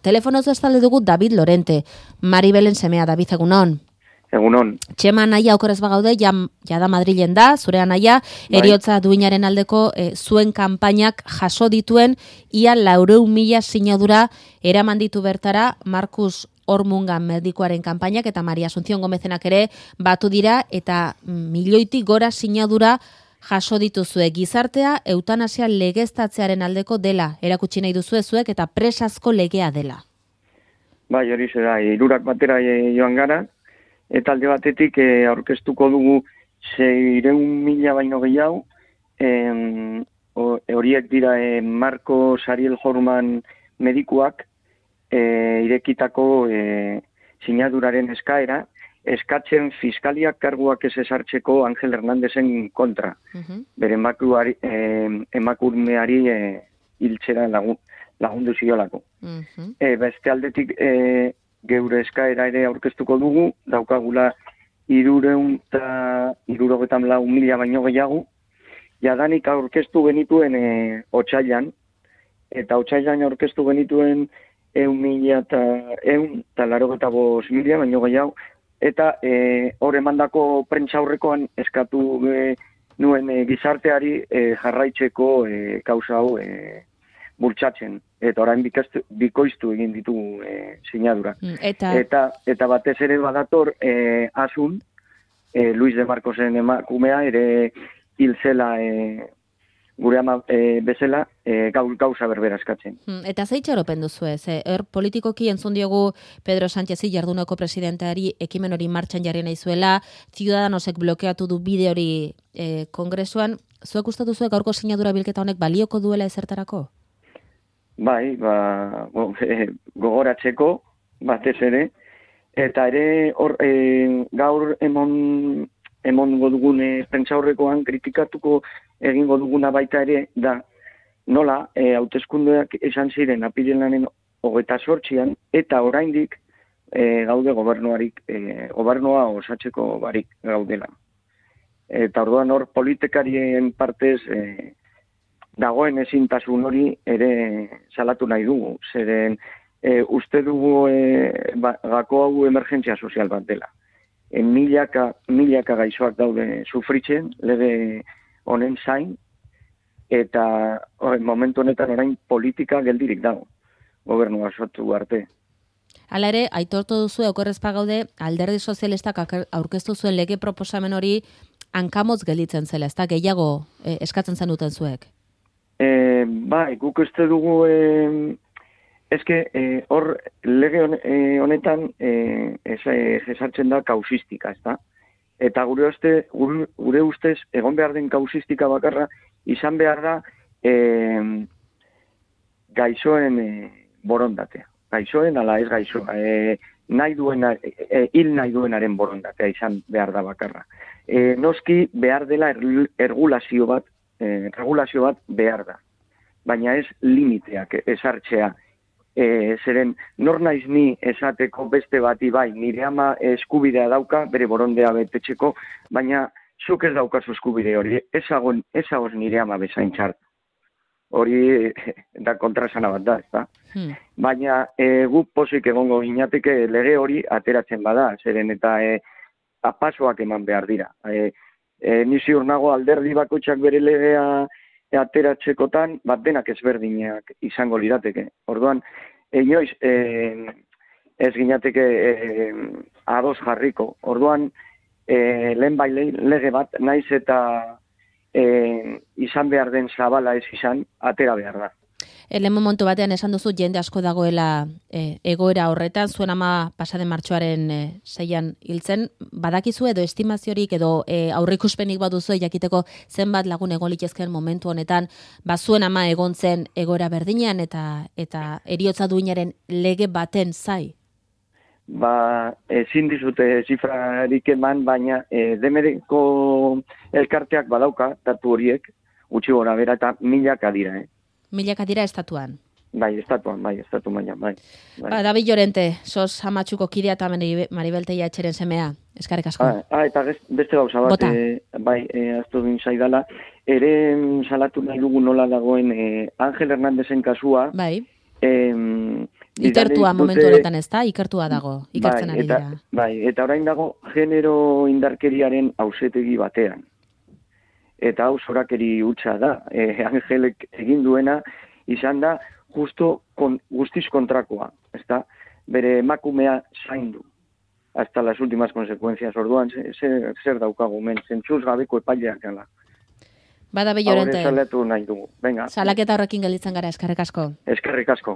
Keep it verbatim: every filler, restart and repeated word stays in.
Telefonoz bestalde dugu David Lorente, Maribelen semea. David, egunon. Egunon. Txema anaia okorez bagaude, ja, ja da Madrilen da, zure anaia, bai. Eriotza duinaren aldeko e, zuen kanpainak jaso dituen, ia laureun mila sinadura eraman ditu bertara, Markus Ormungan medikoaren kanpainak eta Maria Asunción Gomezenak ere batu dira, eta milioitik gora sinadura jaso dituzue. Gizartea eutanasia legeztatzearen aldeko dela, erakutsi nahi duzue zuek, eta presazko legea dela. Bai, hori zera, hirurak batera joan gara, eta alde batetik e, aurkeztuko dugu seiehun mila baino gehiago, e, horiek dira e, Marko Sariel Horman medikuak e, irekitako e, sinaduraren eskaera, eskatzen fiskaliak karguak ez esartzeko Angel Hernandezen kontra. Uh-huh. Bere emakumeari, e, emakumeari e, hiltzera lagun, lagundu ziolako. Uh-huh. E, beste aldetik e, geure eskaera ere aurkeztuko dugu, daukagula irureun eta irurogetan lau mila baino gehiago, jadanik aurkeztu genituen e, otsailan, eta otsailan aurkeztu genituen eun mila eta eun eta larogeta bost mila baino gehiago, eta e, hor emandako prentsa aurrekoan eskatu e, nuen e, gizarteari e, jarraitzeko e, kausa hau e, bultzatzen. Eta orain bikaztu, bikoiztu egin ditu e, sinadura. Eta... eta eta batez ere badator e, Asun, e, Luis de Marcosen emakumea ere hil zela e, gure ama e, bezala e, gauza berbera eskatzen. Eta zeitxaropen duzu ez? Er politikoki entzun diogu Pedro Sánchezi jarduneko presidenteari ekimen hori martxan jarri nahi zuela, Ciudadanosek blokeatu du bide hori e, kongresuan. Zuek uste duzuek gaurko sinadura bilketa honek balioko duela ezertarako? Bai, ba, go, e, gogoratzeko, batez ere, eta ere hor, e, gaur emon, emon godugun e, pentsa horrekoan kritikatuko egingo duguna baita ere, da, nola, e, hauteskundeak esan ziren apirilaren hogeita zortzian, eta oraindik e, gaude gobernuarik, e, gobernua osatzeko barik gaudela. Eta orduan hor politikarien partez, e, dagoen ezintasun hori ere salatu nahi dugu. Zeren e, uste dugu e, ba, gako hau emergentzia sozial bat dela. E, milaka, milaka gaixoak daude sufritzen, lege honen zain, eta o, momentu honetan orain politika geldirik dago, gobernua sortu arte. Hala ere, aitortu duzu okorrez pagaude, alderdi sozialistak aurkeztu zuen lege proposamen hori hankamotz gelditzen zela, ez da gehiago e, eskatzen zenuten zuek? E, bai, guk uste dugu, e, ezke, e, hor lege honetan e, esartzen da kausistika, ez da? Eta gure, uste, gure, gure ustez, egon behar den kausistika bakarra, izan behar da e, gaixoen e, borondatea. Gaixoen, ala ez gaixoa. E, nahi duena, e, hil nahi duenaren borondatea izan behar da bakarra. E, noski behar dela ergulazio bat, E, regulazio bat behar da, baina ez limiteak esartzea. E, zeren, nor naiz ni esateko beste bati bai, nire ama eskubidea dauka, bere borondea betetzeko, baina zuk ez daukazu eskubide hori, ezagoz ez nire ama bezain txart. Hori da kontrasana bat da, ez da? Hmm. Baina e, guk pozik egongo ginateke lege hori ateratzen bada, zeren eta e, apasoak eman behar dira. E, E, ni ziur nago alderdi bakoitzak bere legea ateratzekotan, bat denak ezberdinak izango lirateke. Orduan, inoiz e, ez ginateke e, ados jarriko. Orduan, e, lehen bai lege bat, naiz eta e, izan behar den zabala ez izan, atera behar da. Lehen momentu batean esan duzu jende asko dagoela e, egoera horretan, zuen ama pasaden martxoaren e, zeian hiltzen, badakizu edo estimaziorik edo e, aurreikuspenik baduzu jakiteko zenbat lagun egon litezkeen momentu honetan, ba zuen ama egon zen egoera berdinean eta eta heriotza duinaren lege baten zai? Ba, ezin dizute zifrarik eman, baina e, demereko elkarteak badauka, datu horiek, gutxi gora bera eta milaka dira, eh? Milaka dira estatuan. Bai, estatuan, bai, estatu mailan, bai. bai. Ba, David Llorente, sos amatxuko kidea eta Maribel Teiatxeren semea. Eskarrik asko. Ah, ah eta beste gauza bat, e, bai, e, aztu din zaidala, ere salatu nahi dugu nola dagoen e, Angel Hernandezen kasua, bai. E, Ikertua momentu honetan ez da, ikertua dago, ikertzen bai, ari eta, dira. Bai, eta orain dago genero indarkeriaren ausetegi batean. Eta hau zorakeri hutsa da. E, Angelek egin duena izan da justo kon, guztiz kontrakoa. Ezta? Bere emakumea zaindu. Hasta las últimas consecuencias. Orduan, zer, zer daukagu, men, zentzuz gabeko epaileak gala. Bada Bellorente. Hau salatu nahi dugu. Venga. Salaketa horrekin gelditzen gara, eskerrik asko. Eskerrik asko.